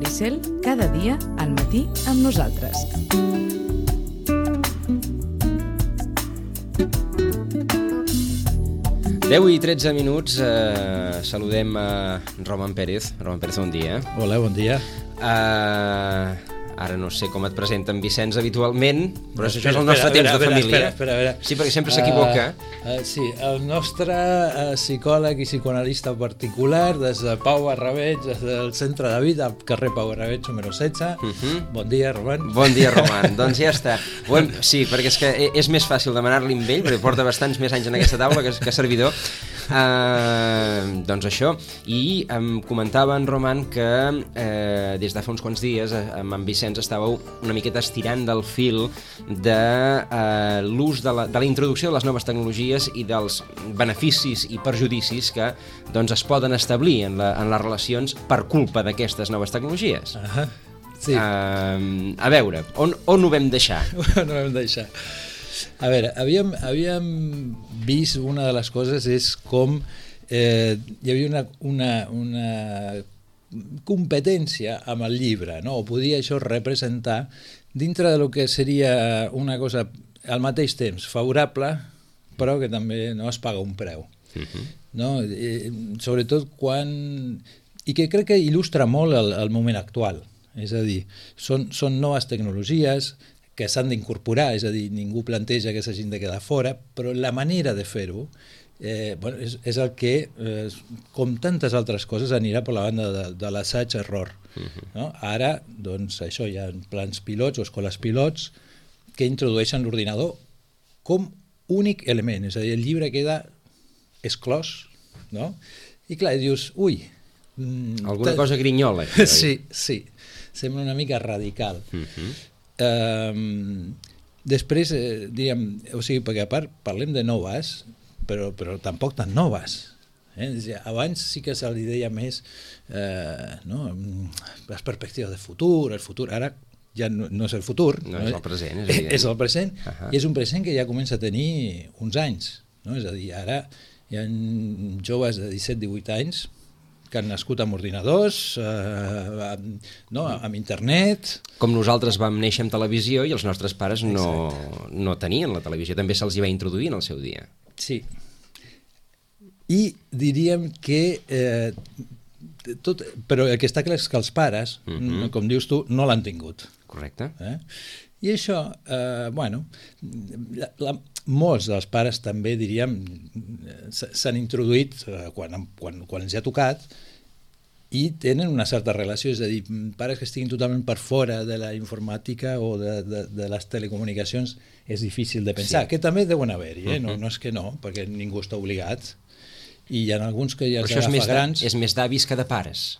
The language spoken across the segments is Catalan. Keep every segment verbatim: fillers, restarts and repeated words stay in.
Maricel, cada dia al matí amb nosaltres. deu i tretze minuts, eh, saludem a Roman Pérez. Roman Pérez, bon dia. Hola, bon dia. Eh... Ara no sé com et presenten Vicenç habitualment, però no, això espera, és el nostre espera, temps espera, de família. Espera, espera, espera. Sí, perquè sempre s'equivoca. Uh, uh, sí, el nostre uh, psicòleg i psicoanalista particular des de Pau Barrabeig, des del Centre de Vida, al carrer Pau Barrabeig, número setze. Uh -huh. Bon dia, Roman. Bon dia, Roman. Doncs ja està. Hem... Sí, perquè és que és més fàcil demanar-li amb ell, perquè porta bastants més anys en aquesta taula que, que servidor. Uh, doncs això. I em comentava en Roman que eh, des de fa uns quants dies amb en Vicenç estàveu una miqueta estirant del fil de eh, l'ús de, la, de la introducció de les noves tecnologies i dels beneficis i perjudicis que doncs, es poden establir en, la, en les relacions per culpa d'aquestes noves tecnologies. Uh -huh. Sí. Uh, a veure, on, on ho vam deixar? On ho vam deixar? A veure, havíem, havíem vist una de les coses és com eh, hi havia una, una, una competència amb el llibre, no? O podia això representar dintre de lo que seria una cosa al mateix temps favorable, però que també no es paga un preu. Uh-huh. No? Eh, sobretot quan... I que crec que il·lustra molt el, el moment actual. És a dir, són, són noves tecnologies que s'han d'incorporar, és a dir, ningú planteja que s'hagin de quedar fora, però la manera de fer-ho Eh, bueno, és, és el que, eh, com tantes altres coses, anirà per la banda de, de l'assaig-error. Uh-huh. No? Ara, doncs, això, hi ha plans pilots o escoles pilots que introdueixen l'ordinador com únic element, és a dir, el llibre queda exclòs, no? I clar, dius, ui... Mm, alguna cosa grinyola. Sí, sí, sembla una mica radical. Uh-huh. Eh, després, eh, diríem, o sigui, perquè a part parlem de noves, Però, però tampoc tan noves. Eh? Abans sí que se li deia més eh, no? les perspectives de futur, el futur, ara ja no, no és el futur, no, no és el present, és, és el present, uh-huh. i és un present que ja comença a tenir uns anys, no? És a dir, ara hi ha joves de disset divuit anys que han nascut amb ordinadors, eh, amb, no, amb internet... Com nosaltres vam néixer amb televisió i els nostres pares no, no tenien la televisió, també se'ls hi va introduir en el seu dia. Sí. I diríem que... Eh, tot, però el que està clar és que els pares, uh-huh. com dius tu, no l'han tingut. Correcte. Eh? I això, eh, bueno, la, la, molts dels pares també, diríem, s'han introduït eh, quan, quan, quan els ha tocat i tenen una certa relació, és a dir, pares que estiguin totalment per fora de la informàtica o de, de, de les telecomunicacions és difícil de pensar, sí. Que també deuen haver-hi, eh? no, no és que no, perquè ningú està obligat, i hi ha alguns que ja els agafa més grans. És més d'avis que de pares,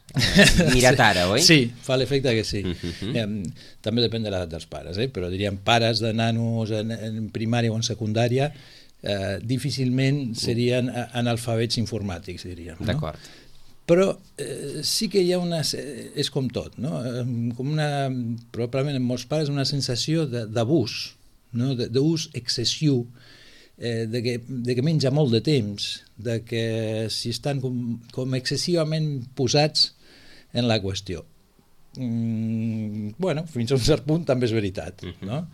mirat sí, ara, oi? Sí, fa l'efecte que sí. Uh-huh. eh, també depèn de l'edat dels pares, eh? Però diríem pares de nanos en, en primària o en secundària eh, difícilment serien analfabets informàtics, diríem. No? D'acord. Però eh, sí que hi ha una... és com tot, no? Com una, probablement en molts pares, una sensació d'abús, no? D'ús excessiu, eh, de, que, de que menja molt de temps, de que si estan com, com excessivament posats en la qüestió. Mm, bueno, fins a un cert punt també és veritat, no?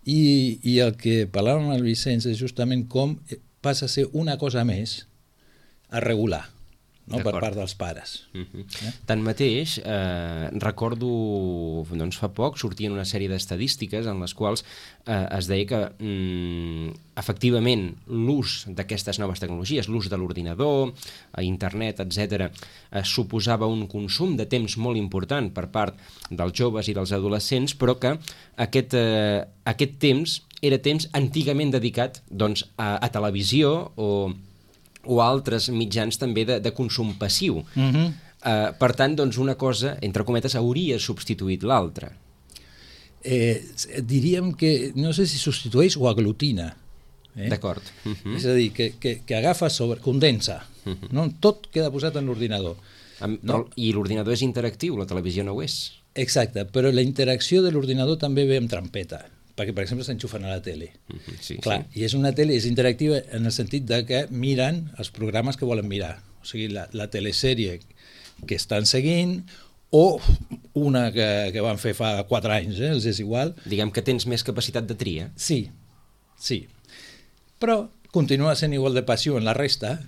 I, i el que parlàvem amb el Vicenç és justament com passa a ser una cosa més a regular, no? Per part dels pares. Uh-huh. eh? Tanmateix, eh, recordo, doncs fa poc sortien una sèrie d'estadístiques en les quals eh, es deia que mm, efectivament l'ús d'aquestes noves tecnologies, l'ús de l'ordinador, a internet, etcètera, eh, suposava un consum de temps molt important per part dels joves i dels adolescents, però que aquest, eh, aquest temps era temps antigament dedicat doncs, a, a televisió o o altres mitjans també de, de consum passiu. Uh-huh. Uh, per tant, doncs, una cosa, entre cometes, hauria substituït l'altra. Eh, diríem que, no sé si substitueix o aglutina. Eh? D'acord. Uh-huh. És a dir, que, que, que agafa sobre, condensa. Uh-huh. No? Tot queda posat en l'ordinador. Um, no? I l'ordinador és interactiu, la televisió no ho és. Exacte, però la interacció de l'ordinador també ve amb trampeta. Perquè, per exemple, s'enxufen a la tele. Uh-huh, sí, clar, sí. I és una tele, és interactiva en el sentit de que miren els programes que volen mirar. O sigui, la, la telesèrie que estan seguint o una que, que van fer fa quatre anys, eh? Els és igual. Diguem que tens més capacitat de tria. Sí, sí. Però continua sent igual de passiu en la resta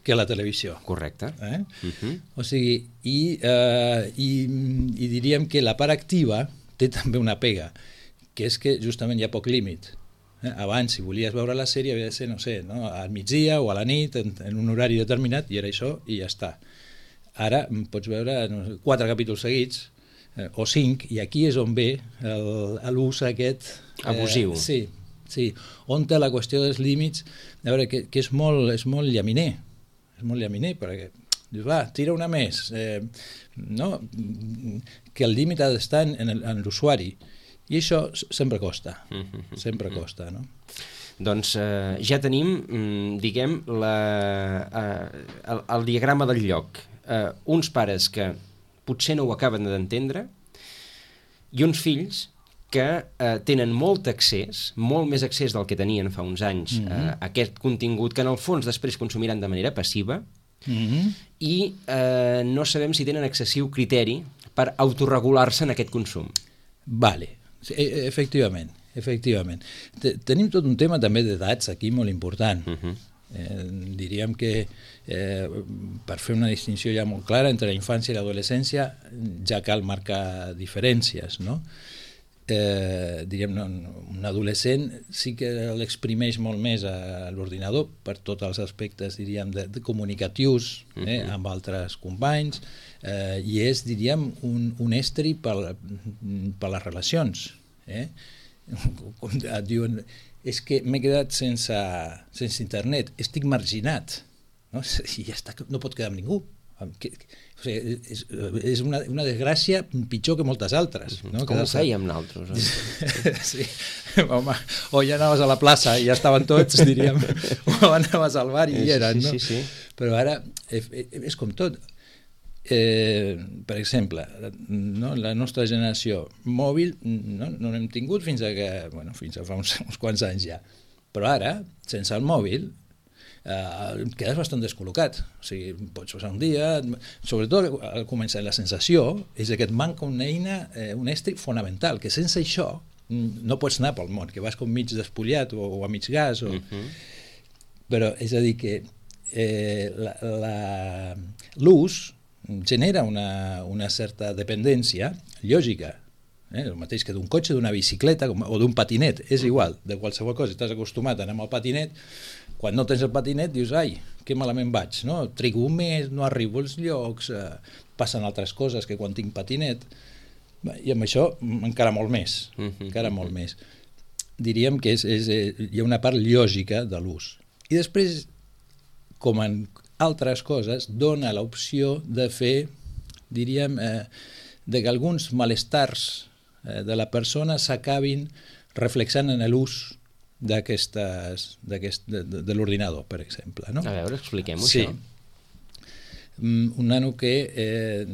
que la televisió. Correcte. Eh? Uh-huh. O sigui, i, eh, i, i diríem que la part activa té també una pega, que és que justament hi ha poc límit. Eh? Abans, si volies veure la sèrie, havia de ser, no sé, no? al migdia o a la nit, en, en un horari determinat, i era això, i ja està. Ara pots veure no sé, quatre capítols seguits, eh, o cinc, i aquí és on ve l'ús aquest... Eh, abusiu. Sí, sí. On té la qüestió dels límits, a veure, que, que és, molt, és molt llaminer, és molt llaminer, perquè dius, va, tira una més, eh, no? Que el límit ha d'estar en, en l'usuari, i això sempre costa, sempre costa, no? Doncs eh, ja tenim, diguem, la, eh, el, el diagrama del lloc. Eh, uns pares que potser no ho acaben d'entendre i uns fills que eh, tenen molt accés, molt més accés del que tenien fa uns anys, mm-hmm. eh, a aquest contingut que en el fons després consumiran de manera passiva, mm-hmm. i eh, no sabem si tenen excessiu criteri per autorregular-se en aquest consum. Vale, sí, efectivament, efectivament. Tenim tot un tema també d'edats aquí molt important. Uh-huh. eh, diríem que eh, per fer una distinció ja molt clara entre la infància i l'adolescència ja cal marcar diferències, no? Eh, diríem, no, un adolescent sí que l'exprimeix molt més a l'ordinador per tots els aspectes, diríem, de, de comunicatius, eh, uh-huh. amb altres companys, eh, i és, diríem, un, un estri per, per les relacions. Eh? Com diuen, és que m'he quedat sense, sense internet, estic marginat, no? I ja està, no pot quedar amb ningú. Que, o sigui, és, és una, una desgràcia pitjor que moltes altres, no? Com ho fèiem nosaltres, eh? Sí, home, o ja anaves a la plaça i ja estaven tots, diríem, o anaves al bar i hi eren, no? Sí, sí, sí. Però ara és com tot. Eh, per exemple, no? La nostra generació mòbil no, no l'hem tingut fins a que, bueno, fins a fa uns, uns quants anys ja, però ara, sense el mòbil, eh, quedes bastant descol·locat. O sigui, pots passar un dia, sobretot al començar la sensació és que et manca una eina, eh, un estri fonamental, que sense això no pots anar pel món, que vas com mig despullat o, o a mig gas o... uh-huh. Però és a dir que eh, la, la, l'ús genera una, una certa dependència lògica, eh? El mateix que d'un cotxe, d'una bicicleta o d'un patinet, és igual, de qualsevol cosa. Estàs acostumat a anar amb el patinet, quan no tens el patinet dius, ai, que malament vaig, no? Trigo un mes, no arribo als llocs, eh, passen altres coses que quan tinc patinet, i amb això encara molt més, encara molt més. Diríem que és, és, hi ha una part lògica de l'ús. I després, com en altres coses, dona l'opció de fer, diríem, eh, de que alguns malestars eh, de la persona s'acabin reflexant en l'ús d'aquestes, d'aquest, de, de, de l'ordinador, per exemple. No? A veure, expliquem-ho, sí. això. Un nano que, eh,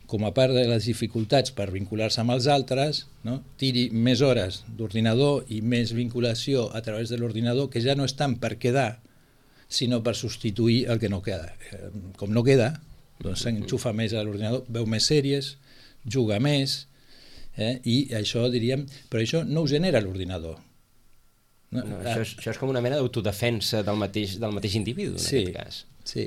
com a part de les dificultats per vincular-se amb els altres, no? Tiri més hores d'ordinador i més vinculació a través de l'ordinador, que ja no és tant per quedar, sinó per substituir el que no queda. Com no queda, doncs s'enxufa més a l'ordinador, veu més sèries, juga més, eh? I això, diríem, però això no ho genera l'ordinador. No, no, això, és, això és com una mena d'autodefensa del mateix, del mateix individu, en sí, aquest cas. Sí,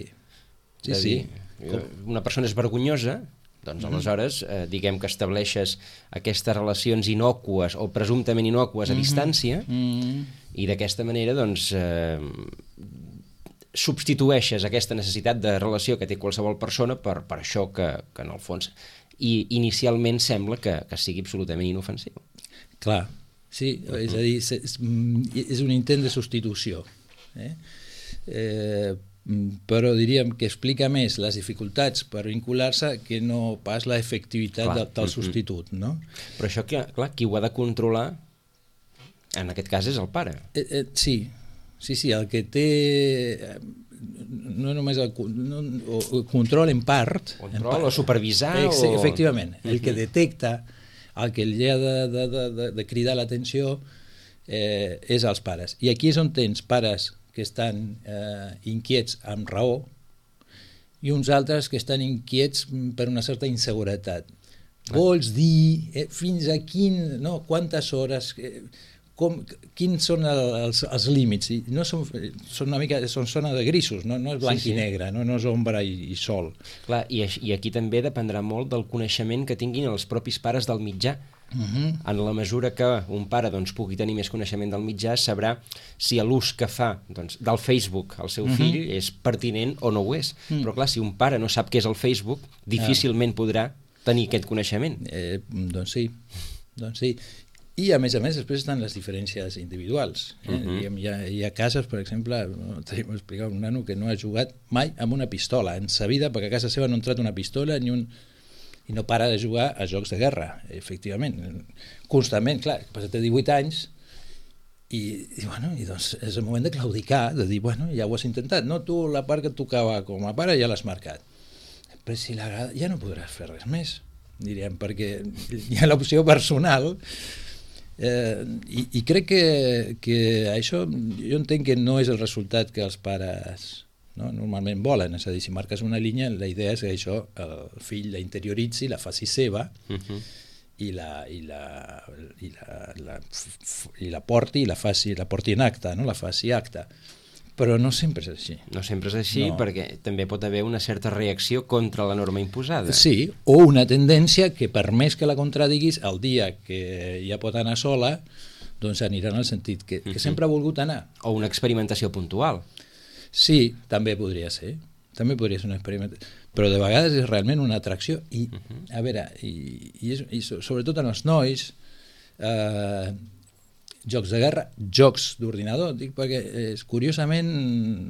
sí, sí. Dir, una persona és vergonyosa, doncs aleshores, eh, diguem que estableixes aquestes relacions inòcues o presumptament inòcues a mm-hmm. distància, mm-hmm. i d'aquesta manera, doncs, eh, substitueixes aquesta necessitat de relació que té qualsevol persona per, per això que, que en el fons i inicialment sembla que, que sigui absolutament inofensiu. Clar, sí, uh-huh. és a dir, és, és un intent de substitució. Eh? Eh, però diríem que explica més les dificultats per vincular-se que no pas l'efectivitat de, del substitut. No? Però això, clar, qui ho ha de controlar, en aquest cas, és el pare. Eh, eh, sí, sí, sí, el que té no només el, no, o, control en part... Control en part, o supervisar ex, o... Efectivament, el que detecta, el que li ha de, de, de, de cridar l'atenció eh, és als pares. I aquí és on tens pares que estan eh, inquiets amb raó i uns altres que estan inquiets per una certa inseguretat. Vols dir eh, fins a quin, no, quantes hores, eh, com, quins són el, els, els límits? I no són, són una mica, són zona de grisos, no, no és blanc sí, sí. i negre, no, no és ombra i, i sol. Clar, i, i aquí també dependrà molt del coneixement que tinguin els propis pares del mitjà. Uh-huh. En la mesura que un pare doncs, pugui tenir més coneixement del mitjà, sabrà si l'ús que fa doncs, del Facebook al seu uh-huh. fill és pertinent o no ho és. Uh-huh. Però clar, si un pare no sap què és el Facebook, difícilment uh-huh. podrà tenir aquest coneixement. Eh, doncs sí, doncs sí. I a més a més després estan les diferències individuals. Eh? Uh-huh. Hi, ha, hi ha cases, per exemple, t'he explicat un nano que no ha jugat mai amb una pistola en sa vida, perquè a casa seva no ha entrat una pistola ni un... i no para de jugar a jocs de guerra, efectivament, constantment, clar, que té divuit anys i, i, bueno, i doncs és el moment de claudicar, de dir, bueno, ja ho has intentat, no? Tu la part que et tocava com a pare ja l'has marcat, però si l'agrada ja no podràs fer res més, diríem, perquè hi ha l'opció personal eh, i, i crec que, que això jo entenc que no és el resultat que els pares... No? Normalment volen, és a dir, si marques una línia la idea és que això el fill la interioritzi, la faci seva uh-huh. i, la, i, la, i, la, la, i la porti i la, faci, la porti en acte, no? La faci acte, però no sempre és així. No sempre és així no. Perquè també pot haver una certa reacció contra la norma imposada. Sí, o una tendència que per més que la contradiguis el dia que ja pot anar sola doncs anirà en el sentit que, que uh-huh. sempre ha volgut anar. O una experimentació puntual. Sí, també podria ser, també podria ser un experiment, però de vegades és realment una atracció i, uh-huh. a veure, i, i, és, i sobretot en els nois, eh, jocs de guerra, jocs d'ordinador, dic perquè és, curiosament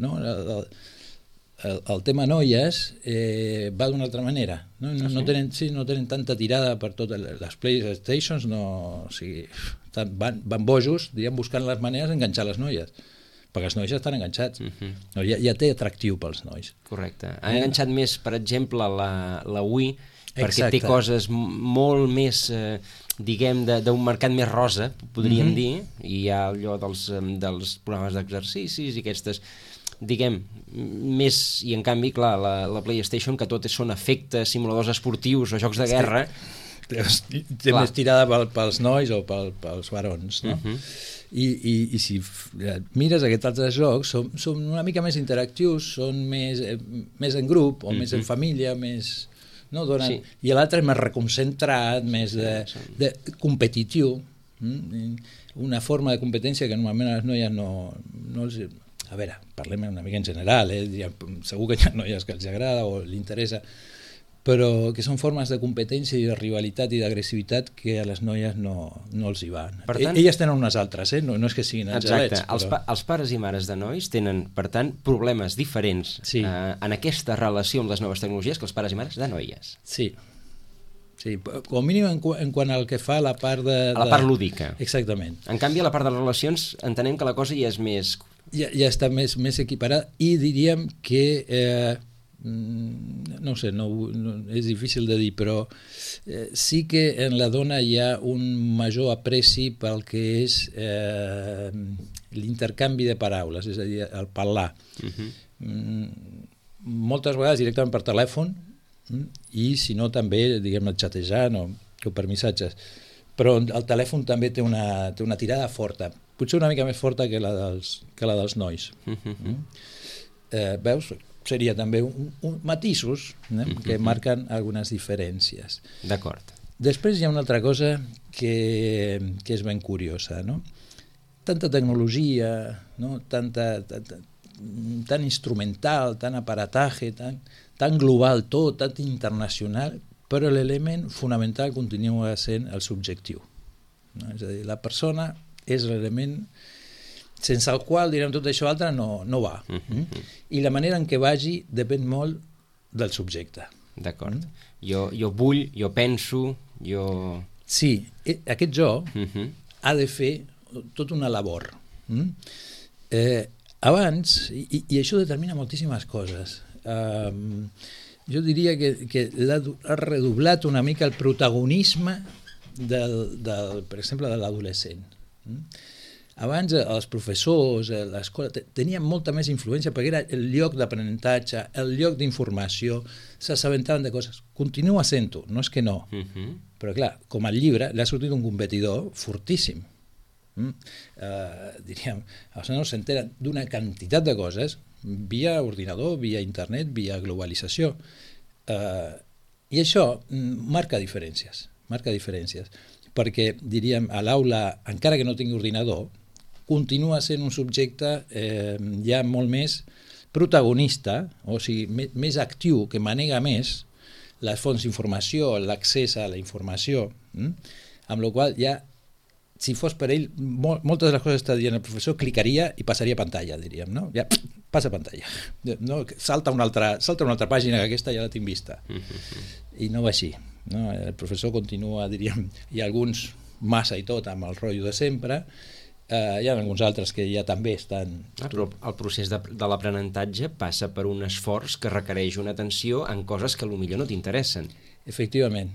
no, el, el, el tema noies eh, va d'una altra manera, no, no, no, tenen, sí, no tenen tanta tirada per totes les PlayStations, no, o sigui, van, van bojos, diguem, buscant les maneres d'enganxar les noies, perquè els nois ja estan enganxats. Uh-huh. No, ja, ja té atractiu pels nois. Correcte. Han eh? enganxat més, per exemple, la, la Wii, perquè Exacte. Té coses molt més, eh, diguem, d'un mercat més rosa, podríem uh-huh. dir, i hi ha allò dels, dels programes d'exercicis i aquestes, diguem, més, i en canvi, clar, la, la PlayStation, que tot són efectes, simuladors esportius o jocs de guerra... Té, té més tirada pel, pels nois o pel, pels barons, no? Uh-huh. I, i, i si mires aquests altres jocs són, són una mica més interactius, són més, eh, més en grup o mm-hmm. més en família, més, no, donen, sí. I l'altre és més reconcentrat, més de, de competitiu, mm? Una forma de competència que normalment a les noies no, no els... A veure, parlem una mica en general, eh? Segur que hi ha noies que els agrada o li interessa, però que són formes de competència i de rivalitat i d'agressivitat que a les noies no, no els hi van. Per tant, elles tenen unes altres, eh? no, no és que siguin angelets. Exacte, però... els, pa els pares i mares de nois tenen, per tant, problemes diferents sí. eh, en aquesta relació amb les noves tecnologies que els pares i mares de noies. Sí, sí, com mínim en, qu en quant al que fa la part de... A la part lúdica. Exactament. En canvi, a la part de les relacions entenem que la cosa ja és més... Ja, ja està més, més equiparada i diríem que... Eh, no ho sé, no, no, és difícil de dir, però eh, sí que en la dona hi ha un major apreci pel que és eh, l'intercanvi de paraules, és a dir, el parlar. Uh-huh. mm, moltes vegades directament per telèfon mm, i si no també, diguem, xatejant o, o per missatges. Però el telèfon també té una, té una tirada forta, potser una mica més forta que la dels, que la dels nois. Uh-huh. mm? eh, veus? Seria també un, un matisos eh, mm-hmm. que marquen algunes diferències. D'acord. Després hi ha una altra cosa que, que és ben curiosa, no? Tanta tecnologia, no? Tanta, tanta, tan instrumental, tan aparataje, tan, tan global tot, tan internacional, però l'element fonamental continua sent el subjectiu. No? És a dir, la persona és l'element sense el qual, direm, tot això altre no, no va. Uh-huh. mm? I la manera en què vagi depèn molt del subjecte. D'acord. Mm? Jo, jo vull, jo penso, jo... Sí, aquest jo uh-huh. ha de fer tota una labor. Mm? Eh, abans, i, i això determina moltíssimes coses, um, jo diria que, que ha redoblat una mica el protagonisme del, del, per exemple, de l'adolescent. Mm? abans els professors, l'escola, tenien molta més influència perquè era el lloc d'aprenentatge, el lloc d'informació, s'assabentaven de coses. Continua sent-ho, no és que no. Uh-huh. Però clar, com al llibre, l'ha sortit un competidor fortíssim. Mm? Uh, diríem, els nanos s'enteren d'una quantitat de coses via ordinador, via internet, via globalització. Uh, I això marca diferències, marca diferències, perquè, diríem, a l'aula, encara que no tingui ordinador, continua sent un subjecte eh, ja molt més protagonista, o sigui, més, més actiu, que manega més les fonts d'informació, l'accés a la informació, hm? Amb la qual ja, si fos per ell, mol, moltes de les coses que està dient el professor, clicaria i passaria pantalla, diríem, no? Ja, passa pantalla. No? Salta, una altra, salta una altra pàgina, que aquesta ja la tinc vista. I no va així. No? El professor continua, diríem, hi ha alguns massa i tot amb el rotllo de sempre. Uh, hi ha alguns altres que ja també estan... Ah, però el procés de, de l'aprenentatge passa per un esforç que requereix una atenció en coses que potser no t'interessen. Efectivament.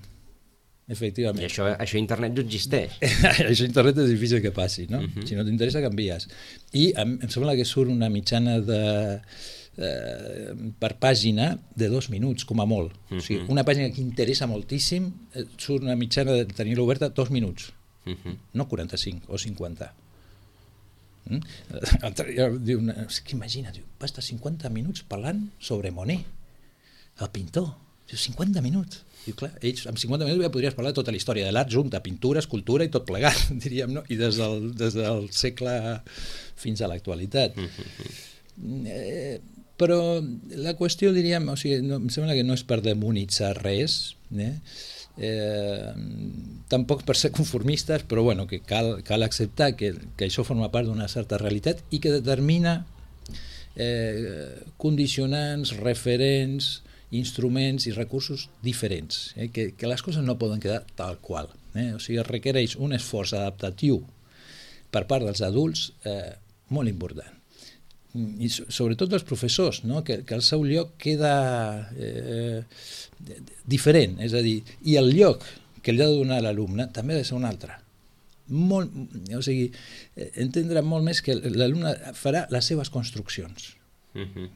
Efectivament. I això, això a internet no existeix. Això a internet és difícil que passi, no? Uh-huh. Si no t'interessa, canvies. I em, em sembla que surt una mitjana de... Eh, per pàgina de dos minuts, com a molt. Uh-huh. O sigui, una pàgina que interessa moltíssim, surt una mitjana de tenir-la oberta dos minuts. Uh-huh. No quaranta-cinc o cinquanta. Mm? Diu, és que imagina, diu, va estar cinquanta minuts parlant sobre Monet, el pintor. Diu, cinquanta minuts. Diu, clar, ells amb cinquanta minuts ja podries parlar de tota la història de l'art junta, pintura, escultura i tot plegat, diríem, no? I des del, des del segle fins a l'actualitat. Mm-hmm. Eh, però la qüestió, diríem, o sigui, no, em sembla que no és per demonitzar res, eh? Eh, tampoc per ser conformistes, però bueno, que cal, cal acceptar que, que això forma part d'una certa realitat i que determina eh, condicionants, referents, instruments i recursos diferents, eh? que, que les coses no poden quedar tal qual, eh? O sigui, requereix un esforç adaptatiu per part dels adults eh, molt important. I sobretot els professors, no? que, que el seu lloc queda eh, diferent, és a dir, i el lloc que li ha de donar l'alumne també ha de ser un altre. Molt, o sigui, entendre molt més que l'alumne farà les seves construccions. Uh-huh.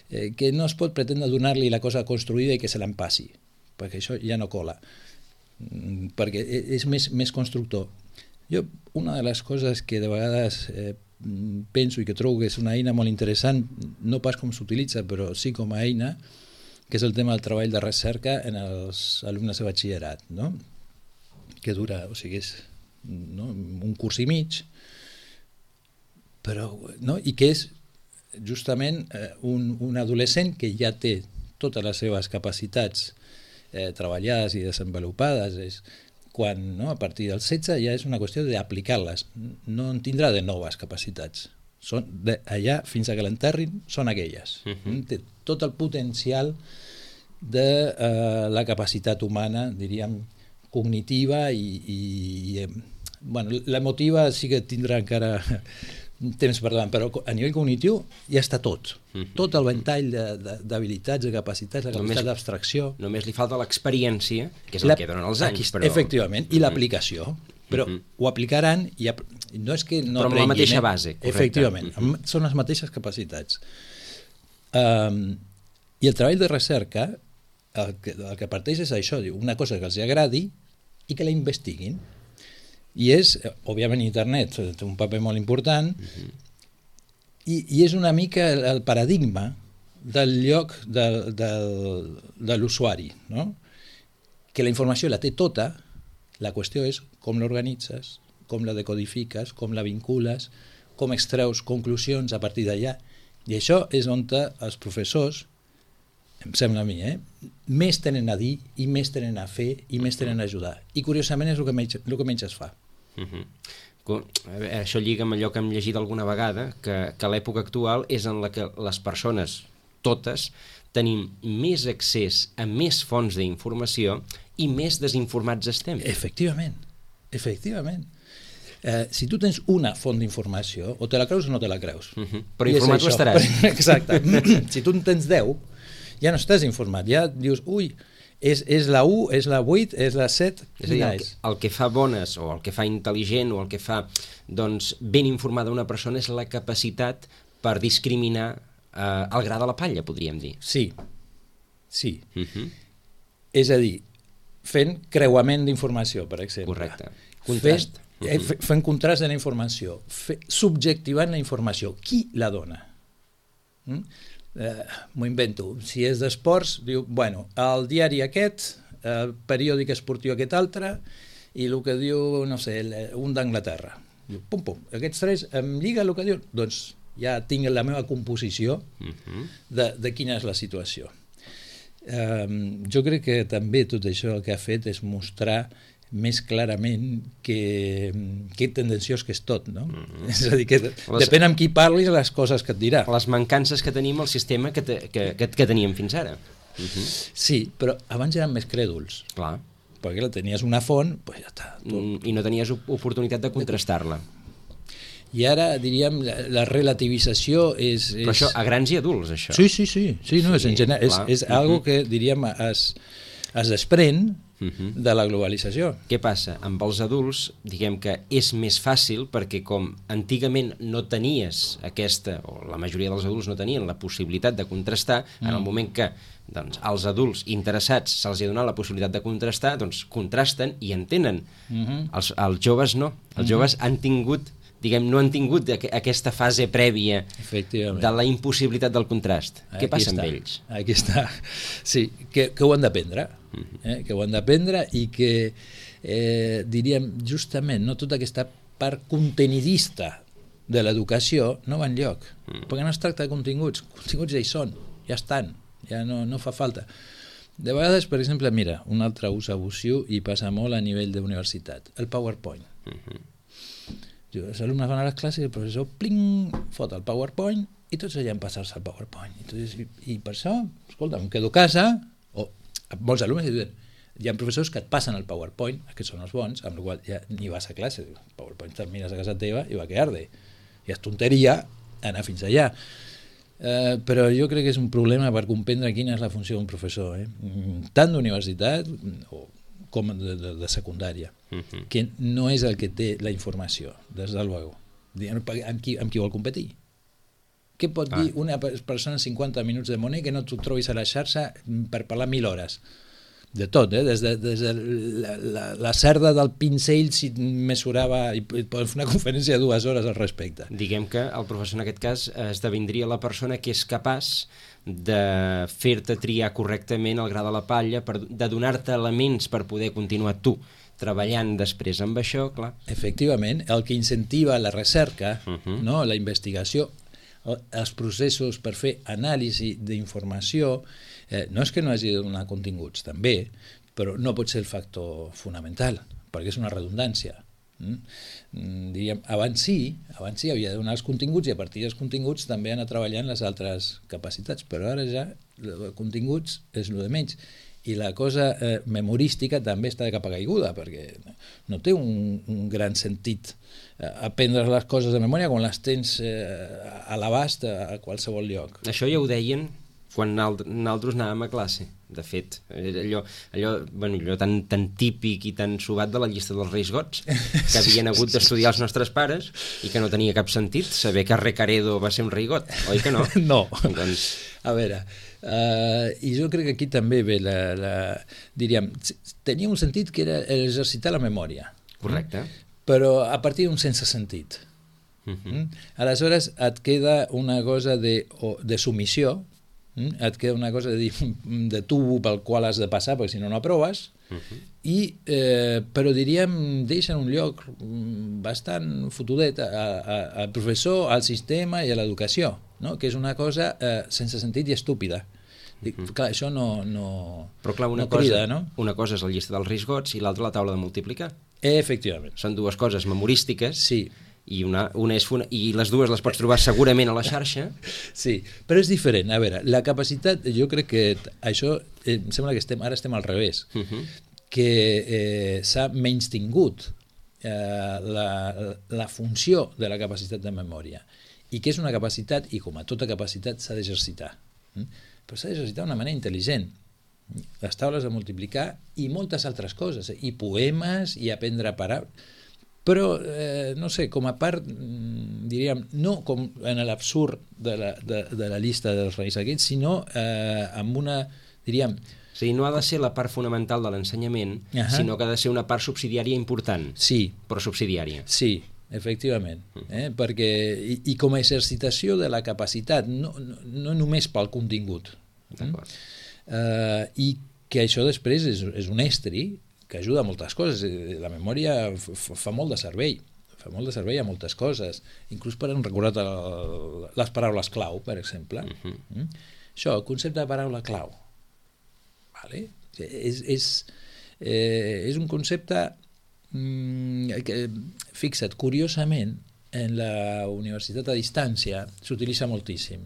eh, que no es pot pretendre donar-li la cosa construïda i que se l'empassi, perquè això ja no cola, perquè és més, més constructor. Jo, una de les coses que de vegades eh, penso i que trobo que és una eina molt interessant, no pas com s'utilitza, però sí com a eina, que és el tema del treball de recerca en els alumnes de batxillerat, no? Que dura, o sigui, és no? un curs i mig, però, no? I que és justament eh, un, un adolescent que ja té totes les seves capacitats eh, treballades i desenvolupades, és quan no, a partir del setze ja és una qüestió d'aplicar-les, no en tindrà de noves capacitats. Són de allà fins a que l'enterrin són aquelles. Uh-huh. Té tot el potencial de eh, la capacitat humana, diríem, cognitiva i, i, i bueno, l'emotiva sí que tindrà encara temps per davant, però a nivell cognitiu ja està tot. Mm-hmm. Tot el ventall d'habilitats, de, de capacitats, de capacitat d'abstracció. Només li falta l'experiència, que és el la, que donen els anys. Aquí, però... Efectivament, i l'aplicació. Però mm-hmm. ho aplicaran i ap... no és que no però amb la mateixa base, correcte. Efectivament, mm-hmm. són les mateixes capacitats. Um, I el treball de recerca, el que, el que parteix és això, diu, una cosa que els agradi i que la investiguin. I és, òbviament, internet té un paper molt important uh-huh. i, i és una mica el, el paradigma del lloc del, del, de l'usuari, no? Que la informació la té tota, la qüestió és com l'organitzes, com la decodifiques, com la vincules, com extreus conclusions a partir d'allà. I això és on els professors, em sembla a mi, eh? més tenen a dir i més tenen a fer i més tenen a ajudar. I curiosament és el que menys, el que menys es fa. Uh-huh. Això lliga amb allò que hem llegit alguna vegada, que, que l'època actual és en la que les persones, totes, tenim més accés a més fonts d'informació i més desinformats estem. Efectivament, efectivament. Eh, si tu tens una font d'informació, o te la creus o no te la creus. Uh-huh. Però informat ho estaràs. Exacte. Si tu en tens deu, ja no estàs informat, ja dius, ui, És, és la u, és la vuit, és la set, és a dir, quina el, que, és? el que fa bones o el que fa intel·ligent o el que fa doncs, ben informada una persona és la capacitat per discriminar eh, el gra de la palla, podríem dir. Sí, sí. Uh-huh. És a dir, fent creuament d'informació, per exemple. Correcte. Contrast. Fent, uh-huh. fent contrast de la informació, fe, subjectivant la informació. Qui la dona? Mm? Eh, m'ho invento, si és d'esports diu, bueno, el diari aquest, el periòdic esportiu aquest altre i el que diu, no sé, un d'Anglaterra, diu, pum pum, aquests tres em lliga el que diu, doncs ja tinc la meva composició uh-huh. de, de quina és la situació. eh, jo crec que també tot això el que ha fet és mostrar més clarament que, que tendenciós que és tot, no? Mm-hmm. És a dir, que les, depèn amb qui parlis les coses que et dirà. Les mancances que tenim al sistema que, te, que, que, que teníem fins ara. Mm-hmm. Sí, però abans eren més crèduls. Clar. Perquè la tenies una font, doncs pues ja està. Tu... I no tenies oportunitat de contrastar-la. I ara, diríem, la, la relativització és, és... Però això, a grans i adults, això. Sí, sí, sí. sí, no, sí és, en general, és, és mm-hmm. algo que, diríem, es, es desprèn Uh-huh. de la globalització. Què passa? Amb els adults, diguem que és més fàcil perquè com antigament no tenies aquesta, o la majoria dels adults no tenien la possibilitat de contrastar, mm. en el moment que doncs, als adults interessats se'ls ha donat la possibilitat de contrastar, doncs contrasten i entenen. Uh-huh. Els, els joves no. Els uh-huh. joves han tingut, diguem, no han tingut aquesta fase prèvia de la impossibilitat del contrast. Aquí Què passa està. amb ells? Aquí està. Sí, que, que ho han d'aprendre. Eh? Que ho han d'aprendre i que, eh, diríem, justament, no tota aquesta part contenidista de l'educació no va enlloc. Mm. Perquè no es tracta de continguts. Continguts ja hi són, ja estan, ja no, no fa falta. De vegades, per exemple, mira, un altre ús abusiu i passa molt a nivell d'universitat, el PowerPoint. Mm-hmm. Els alumnes van a les classes i el professor pling, fot el PowerPoint i tots allà en passar-se el PowerPoint. I, dius, i, i per això, escolta, em quedo a casa, o molts alumnes diuen, hi ha professors que et passen el PowerPoint, que són els bons, amb la qual cosa ja ni vas a classe, el PowerPoint te'l mires a casa teva i va quedar-te. I és tonteria anar fins allà. Eh, però jo crec que és un problema per comprendre quina és la funció d'un professor, eh? tant d'universitat o com de, de, de secundària, uh-huh. que no és el que té la informació, des del luego. Amb qui, amb qui vol competir? Què pot ah. dir una persona en cinquanta minuts de Monet que no t'ho trobis a la xarxa per parlar mil hores? De tot, eh? des de, des de la, la, la cerda del pinzell si mesurava i poden fer una conferència de dues hores al respecte. Diguem que el professor en aquest cas esdevindria la persona que és capaç de fer-te triar correctament el gra de la palla, per, de donar-te elements per poder continuar tu treballant després amb això, clar. Efectivament, el que incentiva la recerca, uh-huh. no? La investigació, els processos per fer anàlisi d'informació, eh, no és que no hagi de donar continguts, també, però no pot ser el factor fonamental, perquè és una redundància. Mm? Diríem, abans sí, abans sí havia de donar els continguts i a partir dels continguts també anar treballant les altres capacitats, però ara ja els continguts és el de menys. I la cosa eh, memorística també està de capa caiguda, perquè no té un, un gran sentit eh, aprendre les coses de memòria quan les tens eh, a l'abast a, a qualsevol lloc. Això ja ho deien quan nosaltres anàvem a classe. De fet, allò, allò, bueno, allò tan, tan típic i tan subat de la llista dels Reis Gots, que havien hagut d'estudiar els nostres pares i que no tenia cap sentit saber que Recaredo va ser un rei got, oi que no? No. Doncs... A veure, uh, i jo crec que aquí també ve la, la... diríem, tenia un sentit que era exercitar la memòria. Correcte. Però a partir d'un sense sentit. Uh-huh. Aleshores et queda una cosa de, de submissió, et queda una cosa de, de tubo pel qual has de passar perquè si no no aproves, uh-huh. i, eh, però diríem deixen un lloc bastant fotudet al professor, al sistema i a l'educació, no? Que és una cosa eh, sense sentit i estúpida. Dic, uh-huh. Clar, això no, no, però clar, una, no crida, cosa, no? Una cosa és la llista dels Reis Gots i l'altra la taula de multiplicar. Efectivament. Són dues coses memorístiques. Sí. I, una, una és funa, i les dues les pots trobar segurament a la xarxa. Sí, però és diferent. A veure, la capacitat, jo crec que això, eh, em sembla que estem, ara estem al revés, uh-huh. que eh, s'ha menystingut eh, la, la funció de la capacitat de memòria, i que és una capacitat, i com a tota capacitat s'ha d'exercitar. Mm? Però s'ha d'exercitar d'una manera intel·ligent. les taules de multiplicar i moltes altres coses, i poemes, i aprendre a parar, però, eh, no sé, com a part, diríem, no com en l'absurd de, la, de, de la llista dels reis aquests, sinó eh, amb una, diríem... O sigui, no ha de ser la part fonamental de l'ensenyament, uh-huh. sinó que ha de ser una part subsidiària important, sí. però subsidiària. Sí, efectivament, eh? Perquè, i, i com a exercitació de la capacitat, no, no, no només pel contingut. D'acord. Eh, I que això després és, és un estri que ajuda a moltes coses. La memòria f- fa molt de servei, fa molt de servei a moltes coses, inclús per recordar el, les paraules clau, per exemple. Uh-huh. Mm? Això, el concepte de paraula clau, vale? és, és, eh, és un concepte mm, que, fixa't, curiosament, en la universitat a distància s'utilitza moltíssim.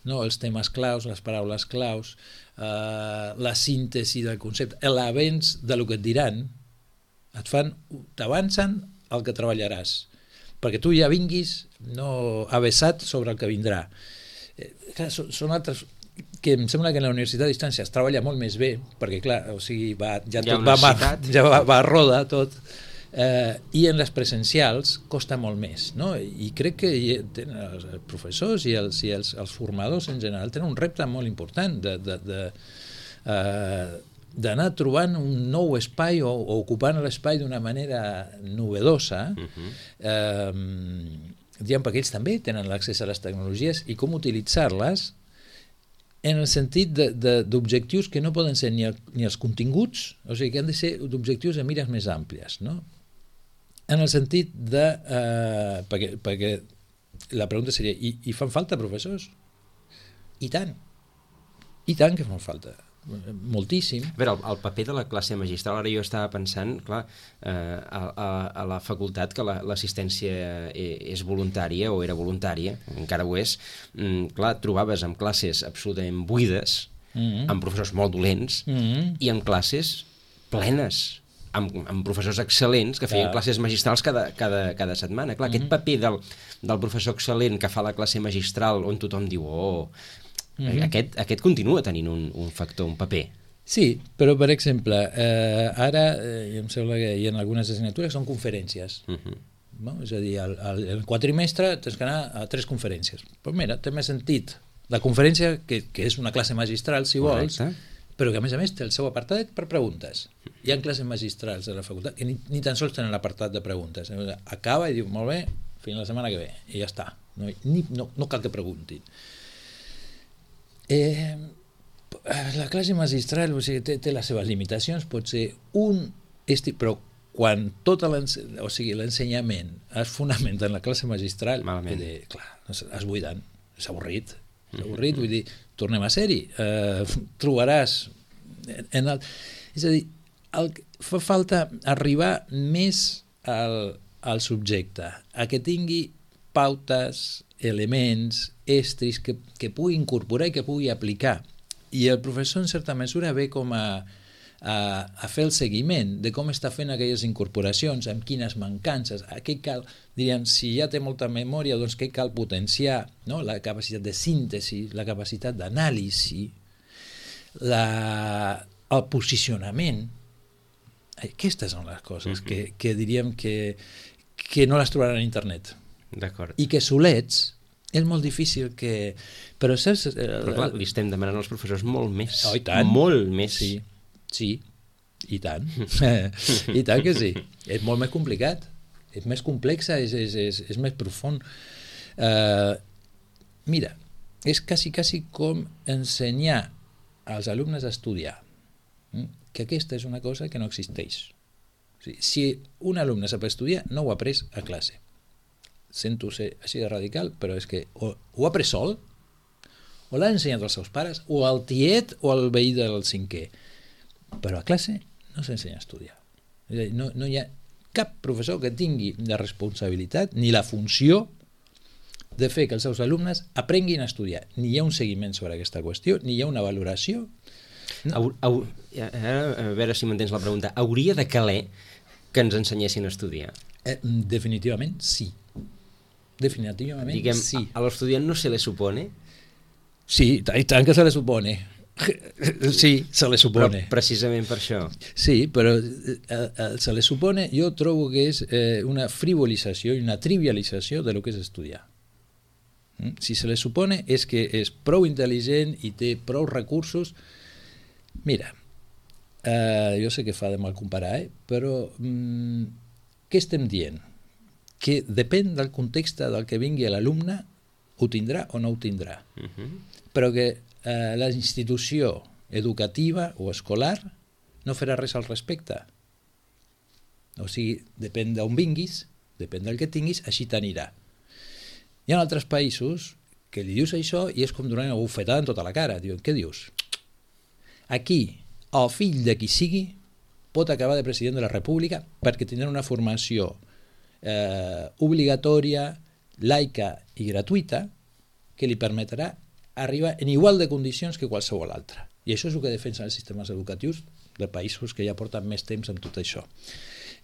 No, els temes claus, les paraules claus, eh, la síntesi del concepte, l'avenç de lo que et diran, et fan, t'avancen el que treballaràs, perquè tu ja vinguis no avesat sobre el que vindrà. Eh, clar, són, són altres que em sembla que en la universitat a distància es treballa molt més bé, perquè clar, o sigui, va, ja tot va, va, ja va, va a roda tot, eh, i en les presencials costa molt més, no? I crec que tenen els professors i els, i els, els formadors en general tenen un repte molt important de, de, de, eh, d'anar trobant un nou espai o, o ocupant l'espai d'una manera novedosa, uh-huh. eh, diguem, perquè ells també tenen l'accés a les tecnologies i com utilitzar-les en el sentit de, de, d'objectius que no poden ser ni, el, ni els continguts, o sigui, que han de ser d'objectius de mires més àmplies, no? En el sentit de... Eh, perquè, perquè la pregunta seria, i, i fan falta professors? I tant. I tant que fan falta. Moltíssim. A veure, el, el paper de la classe magistral, ara jo estava pensant, clar, eh, a, a, a la facultat, que la, l'assistència és voluntària, o era voluntària, encara ho és, mm, clar, trobaves amb classes absolutament buides, mm-hmm. amb professors molt dolents, mm-hmm. i amb classes plenes, amb, amb professors excel·lents que feien clar. classes magistrals cada, cada, cada setmana. Clar, mm-hmm. aquest paper del, del professor excel·lent que fa la classe magistral, on tothom diu, oh... Mm-hmm. Aquest, aquest continua tenint un, un factor, un paper. Sí, però per exemple, eh, ara eh, em sembla que hi ha algunes assignatures que són conferències. Uh-huh. No? És a dir, el, el, el quadrimestre tens que anar a tres conferències. Però mira, té més sentit la conferència, que, que és una classe magistral, si Correcte. vols, però que a més a més té el seu apartat per preguntes. Hi ha classes magistrals de la facultat que ni, ni tan sols tenen l'apartat de preguntes. Acaba i diu, molt bé, fins la setmana que ve, i ja està. No, ni, no, no cal que preguntin. Eh, la classe magistral, o sigui, té, té les seves limitacions, pot ser un esti... però quan tot o sigui, l'ensenyament es fonamenta en la classe magistral, de, clar, es buiden, és avorrit, és avorrit, vull dir, tornem a ser-hi, eh, trobaràs en el, és a dir, el, fa falta arribar més al, al subjecte, a que tingui pautes, elements, estris que, que pugui incorporar i que pugui aplicar. I el professor, en certa mesura, ve com a, a, a fer el seguiment de com està fent aquelles incorporacions, amb quines mancances, a què cal, diríem, si ja té molta memòria, doncs què cal potenciar, no? La capacitat de síntesi, la capacitat d'anàlisi, la, el posicionament. Aquestes són les coses uh-huh. que, que diríem que, que no les trobaran a internet. D'acord. I que solets és molt difícil que... Però saps... Però clar, li estem demanant als professors molt més. Oh, i tant. Molt més. Sí, sí, i tant. I tant que sí. És molt més complicat. És més complexa, és, és, és, és més profund. Uh, mira, és quasi, quasi com ensenyar als alumnes a estudiar. Que aquesta és una cosa que no existeix. O sigui, si un alumne sap estudiar, no ho ha après a classe. Sento ser així de radical, però és que o ho ha après sol, o l'ha ensenyat als seus pares, o al tiet o al veí del cinquè. Però a classe no s'ensenya a estudiar. És a dir, no, no hi ha cap professor que tingui la responsabilitat ni la funció de fer que els seus alumnes aprenguin a estudiar. Ni hi ha un seguiment sobre aquesta qüestió, ni hi ha una valoració. No. Au, au, a veure si m'entens la pregunta. Hauria de caler que ens ensenyessin a estudiar? Eh, definitivament sí. Definitivament Diguem, sí. A, a l'estudiant no se le supone? Sí, i tant que se le supone. Sí, se le supone. Però precisament per això. Sí, però eh, eh, se le supone, jo trobo que és eh, una frivolització i una trivialització de lo que és estudiar. Mm? Si se le supone és que és prou intel·ligent i té prou recursos. Mira, eh, jo sé que fa de mal comparar, eh? Però mm, què estem dient? Que depèn del context del que vingui l'alumne, ho tindrà o no ho tindrà. Uh-huh. Però que eh, la institució educativa o escolar no farà res al respecte. O sigui, depèn d'on vinguis, depèn del que tinguis, així t'anirà. Hi ha altres països que li dius això i és com donar una bufetada en tota la cara. Diuen, què dius? Aquí, el fill de qui sigui pot acabar de president de la República perquè tindrà una formació eh, obligatòria, laica i gratuïta que li permetrà arribar en igual de condicions que qualsevol altre. I això és el que defensen els sistemes educatius de països que ja porten més temps amb tot això.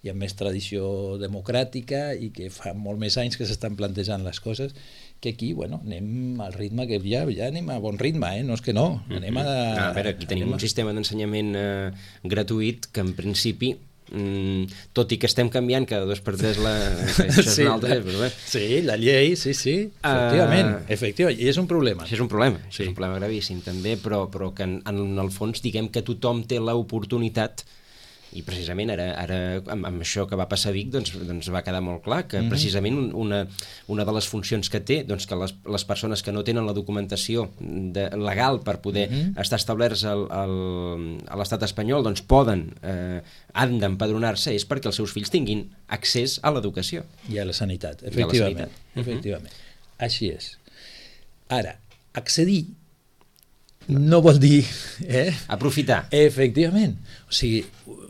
Hi ha més tradició democràtica i que fa molt més anys que s'estan plantejant les coses que aquí, bueno, anem al ritme que ja, ja anem a bon ritme, eh? No és que no. Anem a... A veure, aquí tenim un sistema d'ensenyament eh, gratuït que en principi Mm, tot i que estem canviant cada dos per tres la... Això és sí, una altra, però bé. Sí, la llei, sí, sí, efectivament, uh... efectivament, i és un problema. Això és un problema, sí. És un problema gravíssim també, però, però que en, en el fons diguem que tothom té l'oportunitat. I precisament ara, ara amb, amb això que va passar a Vic doncs, doncs va quedar molt clar que mm-hmm. precisament una, una de les funcions que té, doncs que les, les persones que no tenen la documentació de, legal per poder mm-hmm. estar establerts al, al, a l'estat espanyol doncs poden, eh, han d'empadronar-se és perquè els seus fills tinguin accés a l'educació. I a la sanitat, efectivament. La sanitat. efectivament. Mm-hmm. Així és. Ara, accedir no vol dir... Eh? Aprofitar. Efectivament. O sigui,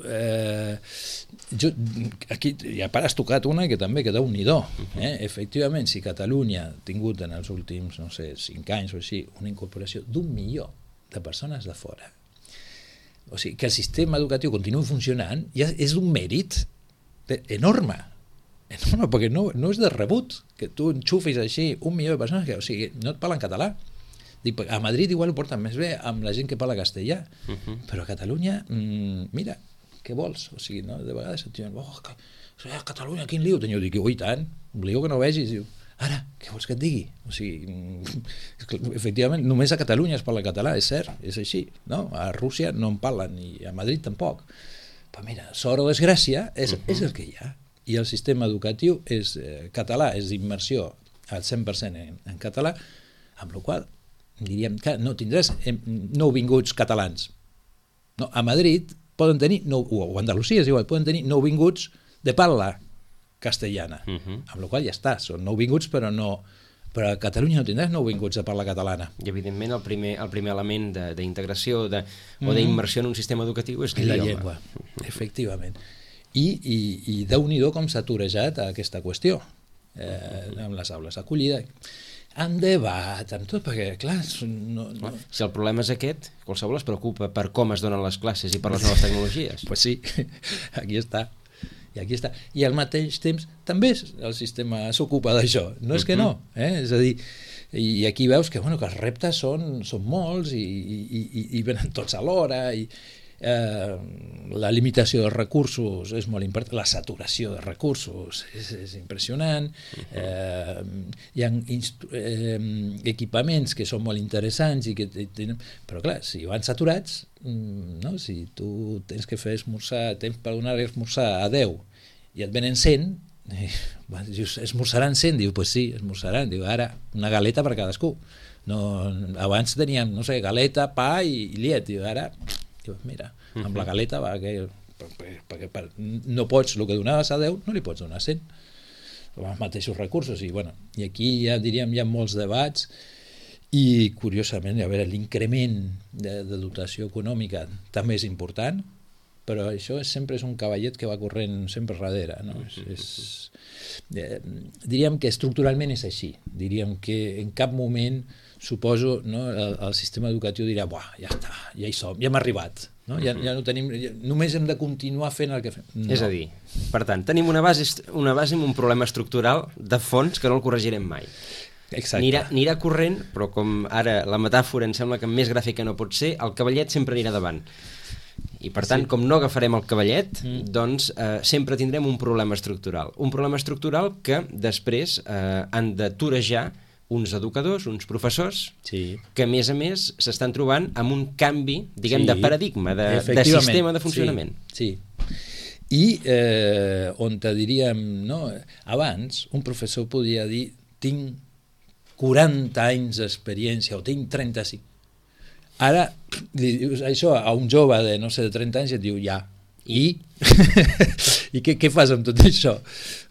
eh, jo, aquí ja has tocat una que també queda un nidó. Eh? Efectivament, si Catalunya ha tingut en els últims, no sé, cinc anys o així, una incorporació d'un milió de persones de fora, o sigui, que el sistema educatiu continuï funcionant, ja és un mèrit enorme. Enorme, perquè no, no és de rebut que tu enxufis així un milió de persones que, o sigui, no et parlen català. A Madrid igual ho porten més bé amb la gent que parla castellà, uh-huh. però a Catalunya, mmm, mira, què vols? O sigui, no? De vegades et diuen, oh, que, a Catalunya, quin lío teniu? Dic, ui, tant, un lío que no vegis. Diu, ara, què vols que et digui? O sigui, efectivament, només a Catalunya es parla català, és cert, és així, no? A Rússia no en parlen, i a Madrid tampoc. Però mira, sort o desgràcia, és, uh-huh. és el que hi ha. I el sistema educatiu és eh, català, és d'immersió al cent per cent en, en català, amb la qual diríem que no tindràs nouvinguts catalans. No, a Madrid poden tenir, no, o a Andalusia és igual, poden tenir nouvinguts de parla castellana, uh-huh. amb la qual ja està, són nouvinguts però no, però a Catalunya no tindràs nouvinguts de parla catalana. I evidentment el primer, el primer element d'integració de, o d'immersió en un sistema educatiu és la llengua, efectivament. I, i, i Déu-n'hi-do com s'ha turejat aquesta qüestió eh, amb les aules d'acollida, en debat, amb tot, perquè, clar... No, no... Si el problema és aquest, qualsevol es preocupa per com es donen les classes i per les noves tecnologies. Pues sí, aquí està. I aquí està. I al mateix temps també el sistema s'ocupa d'això, no és que no. Eh? És a dir, i aquí veus que, bueno, que els reptes són, són molts i, i, i, i venen tots alhora i... Eh, la limitació dels recursos és molt important, la saturació de recursos és, és impressionant, eh, hi ha eh, equipaments que són molt interessants i que tenen... però clar, si van saturats, no? Si tu tens que fer esmorzar, tens per donar esmorzar a deu i et venen cent, i, dius, esmorzaran cent? Diu, pues sí, esmorzaran. Diu, ara una galeta per cadascú. No, abans teníem, no sé, galeta, pa i, i llet. Diu, ara... mira, amb la galeta va, que, perquè per, no pots, el que donaves a deu no li pots donar a cent amb els mateixos recursos i, bueno, i aquí ja diríem hi ha molts debats i curiosament a veure, l'increment de, de dotació econòmica també és important, però això és, sempre és un cavallet que va corrent sempre darrere, no? és, és, eh, diríem que estructuralment és així, diríem que en cap moment suposo, no, el, el sistema educatiu dirà, buah, ja està, ja hi som, ja hem arribat, no? Ja, ja no tenim, ja, només hem de continuar fent el que fem. No. És a dir, per tant, tenim una base, una base amb un problema estructural de fons que no el corregirem mai. Exacte. Anirà, anirà corrent, però com ara la metàfora em sembla que més gràfica no pot ser, el cavallet sempre anirà davant. I per tant, sí. com no agafarem el cavallet, mm. doncs eh, sempre tindrem un problema estructural. Un problema estructural que després eh, han de torejar uns educadors, uns professors, sí. que a més a més s'estan trobant amb un canvi, diguem, sí. de paradigma, de, de sistema de funcionament. Sí, sí. I eh, on te diríem, no? Abans un professor podia dir tinc quaranta anys d'experiència o tinc trenta-cinc. Ara li dius això a un jove de, no sé, de trenta anys i et diu ja. I? I què, què fas amb tot això?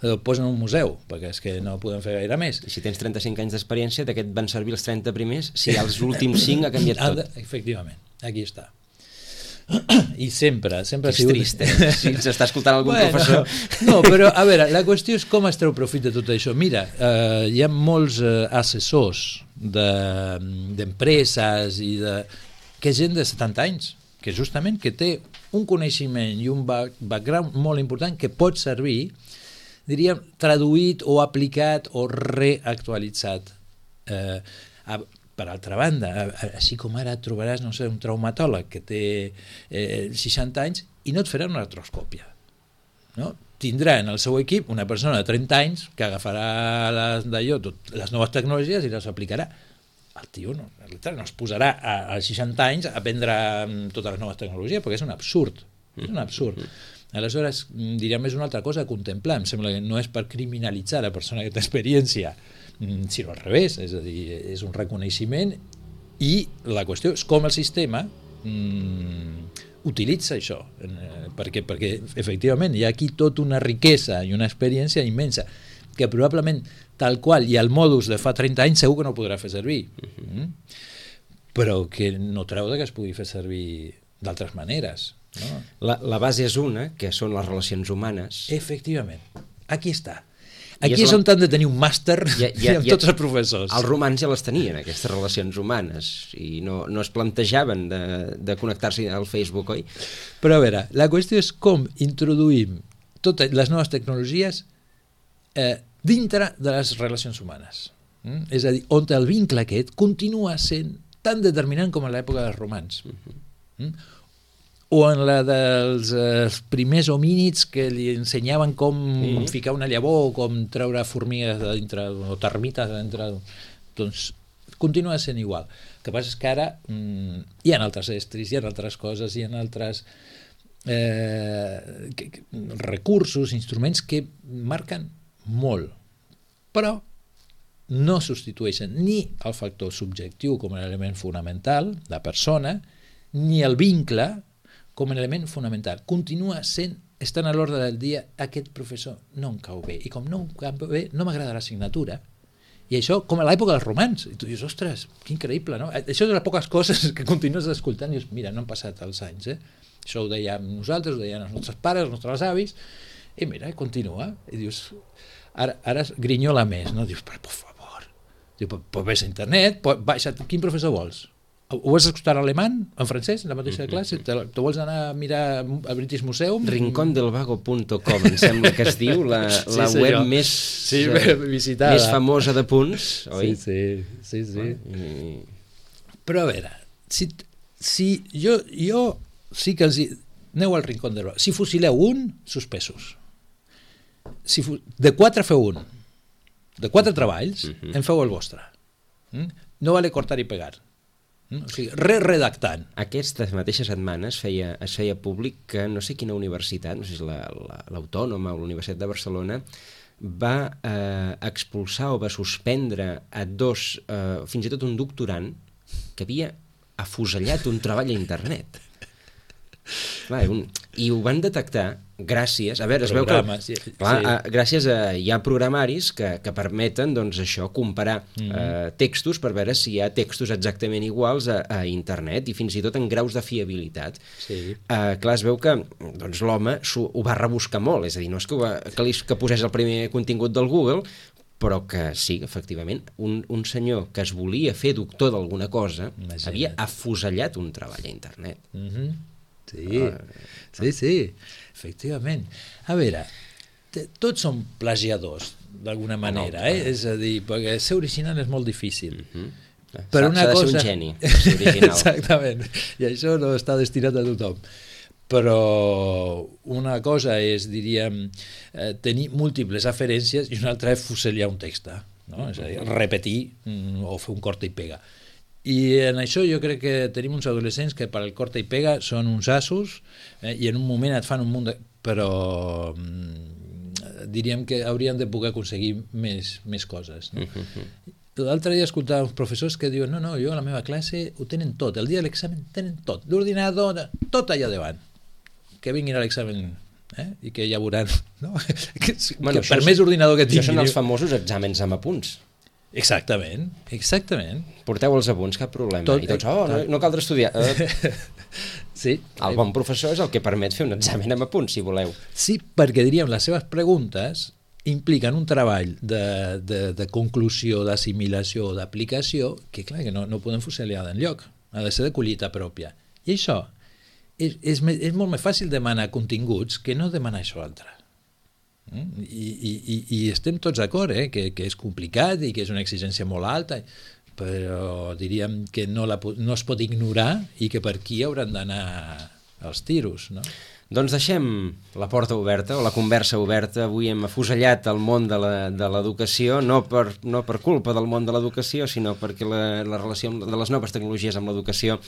El posen en un museu, perquè és que no podem fer gaire més. I si tens trenta-cinc anys d'experiència, d'aquest van servir els trenta primers, si els últims cinc ha canviat tot. Efectivament, aquí està. I sempre, sempre ha sigut... trist, eh? Si ens està escoltant algun bueno, professor. No, però a veure, la qüestió és com es treu profit de tot això. Mira, eh, hi ha molts eh, assessors d'empreses de, i de... que és gent de setanta anys, que justament que té un coneixement i un background molt important que pot servir, diríem, traduït o aplicat o reactualitzat. Eh, a, per altra banda, així com ara trobaràs, no sé, un traumatòleg que té eh, seixanta anys i no et farà una artroscòpia. No? Tindrà en el seu equip una persona de trenta anys que agafarà les, d'allò, tot, les noves tecnologies i les aplicarà. El tio no, no es posarà als seixanta anys a aprendre totes les noves tecnologies, perquè és un absurd. És un absurd. Aleshores, diríem, és una altra cosa a contemplar. Em sembla que no és per criminalitzar la persona que té experiència, sinó al revés, és a dir, és un reconeixement i la qüestió és com el sistema mm, utilitza això, perquè, perquè efectivament hi ha aquí tota una riquesa i una experiència immensa que probablement tal qual i el modus de fa trenta anys segur que no podrà fer servir, mm? però que no treu que es pugui fer servir d'altres maneres. No? La, la base és una, que són les relacions humanes. Efectivament, aquí està. Aquí és, és on han de tenir un màster ja, ja, amb ja, tots els professors. Els romans ja les tenien, aquestes relacions humanes, i no, no es plantejaven de, de connectar-se al Facebook, oi? Però a veure, la qüestió és com introduïm totes les noves tecnologies eh, dintre de les relacions humanes. Mm? És a dir, on el vincle aquest continua sent tan determinant com a l'època dels romans. Mm? O en la dels eh, primers homínids que li ensenyaven com mm. ficar una llavor o com treure formigues de dintre, o termites de dintre, doncs continua sent igual. El que passa és que ara mm, hi ha altres estris, hi ha altres coses, hi ha altres eh, que, que, recursos, instruments que marquen molt, però no substitueixen ni el factor subjectiu com a element fonamental, la persona, ni el vincle com a element fonamental. Continua sent, estant a l'ordre del dia, aquest professor no em cau bé, i com no em cau bé, no m'agrada l'assignatura. I això, com a l'època dels romans, i tu dius, ostres, que increïble, no? Això és de les poques coses que continues escoltant i dius, mira, no han passat els anys, eh? Això ho dèiem nosaltres, ho deien els nostres pares, els nostres avis, i mira, continua, i dius, ara, ara grinyola més, no? Dius, però, per favor, dius, però, però ves a internet, però, baixa, quin professor vols? Ho vols escoltar en alemany, en francès, en la mateixa classe? Te, te vols anar a mirar al British Museum? rincón del vago punt com, em sembla que es diu, la, la sí, web més, sí, visitada, més famosa de punts, oi? Sí, sí, sí. sí. I... Però a veure, si, si jo, jo sí que els... Aneu al rincón del vago. Si fusileu un, suspesos. Si fu... De quatre feu un. De quatre treballs, uh-huh. en feu el vostre. Mm? No vale cortar i pegar. O sigui, re-redactant. Aquestes mateixes setmanes feia, es feia públic que no sé quina universitat, no sé si l'Autònoma la, la, o la Universitat de Barcelona, va eh, expulsar o va suspendre a dos, eh, fins i tot un doctorant, que havia afusellat un treball a internet. Clar, un, i ho van detectar gràcies, a veure, es veu que sí, clar, sí. a, gràcies a, hi ha programaris que, que permeten doncs això, comparar mm-hmm. eh, textos per veure si hi ha textos exactament iguals a, a internet i fins i tot en graus de fiabilitat. Sí. Eh, clar, es veu que doncs, l'home ho va rebuscar molt, és a dir, no és que, va, que, li, que posés el primer contingut del Google, però que sí, efectivament, un, un senyor que es volia fer doctor d'alguna cosa Imagina't. havia afusellat un treball a internet. Mhm. Sí, sí, sí, efectivament. A veure, tots són plagiadors, d'alguna manera, no, eh? És a dir, perquè ser original és molt difícil. Uh-huh. Però una cosa... de ser un geni, ser original. Exactament, i això no està destinat a tothom. Però una cosa és, diríem, eh, tenir múltiples aferències i una altra és fusellar un text, no? És a dir, repetir mm, o fer un corta i pega. I en això jo crec que tenim uns adolescents que per al corta i pega són uns assos, eh, i en un moment et fan un munt de... però mm, diríem que haurien de poder aconseguir més, més coses, no? Uh-huh. L'altre dia escoltava uns professors que diuen no, no, jo a la meva classe ho tenen tot, el dia de l'examen tenen tot, l'ordinador, tot allà davant, que vinguin a l'examen, eh? I que ja veuran, no? que, bueno, que per més ordinador que tinguin... Això són els famosos exàmens amb apunts. Exactament, exactament. Porteu els apunts, cap problema. Tot, I tots, oh, no, no caldrà estudiar. Sí. El bon professor és el que permet fer un examen amb apunts, si voleu. Sí, perquè diríem, les seves preguntes impliquen un treball de, de, de conclusió, d'assimilació, d'aplicació, que clar, que no, no podem fusellar d'enlloc, ha de ser de collita pròpia. I això, és, és, és molt més fàcil demanar continguts que no demanar això altre. Mm? I, i, i estem tots d'acord, eh? que, que és complicat i que és una exigència molt alta, però diríem que no, la, no es pot ignorar i que per aquí hauran d'anar els tiros, no? Doncs deixem la porta oberta, o la conversa oberta. Avui hem afusellat el món de l'educació, no, per, no per culpa del món de l'educació, sinó perquè la, la relació de les noves tecnologies amb l'educació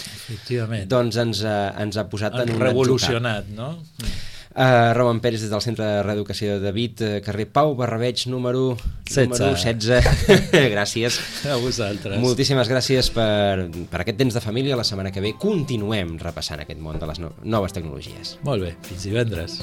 doncs ens, ha, ens ha posat en un revolucionat, no? Uh, Roman Pérez des del Centre de Reeducació de David, uh, carrer Pau Barrabeig, número setze. Gràcies. A vosaltres. Moltíssimes gràcies per, per aquest temps de família. La setmana que ve continuem repassant aquest món de les no noves tecnologies. Molt bé, fins divendres.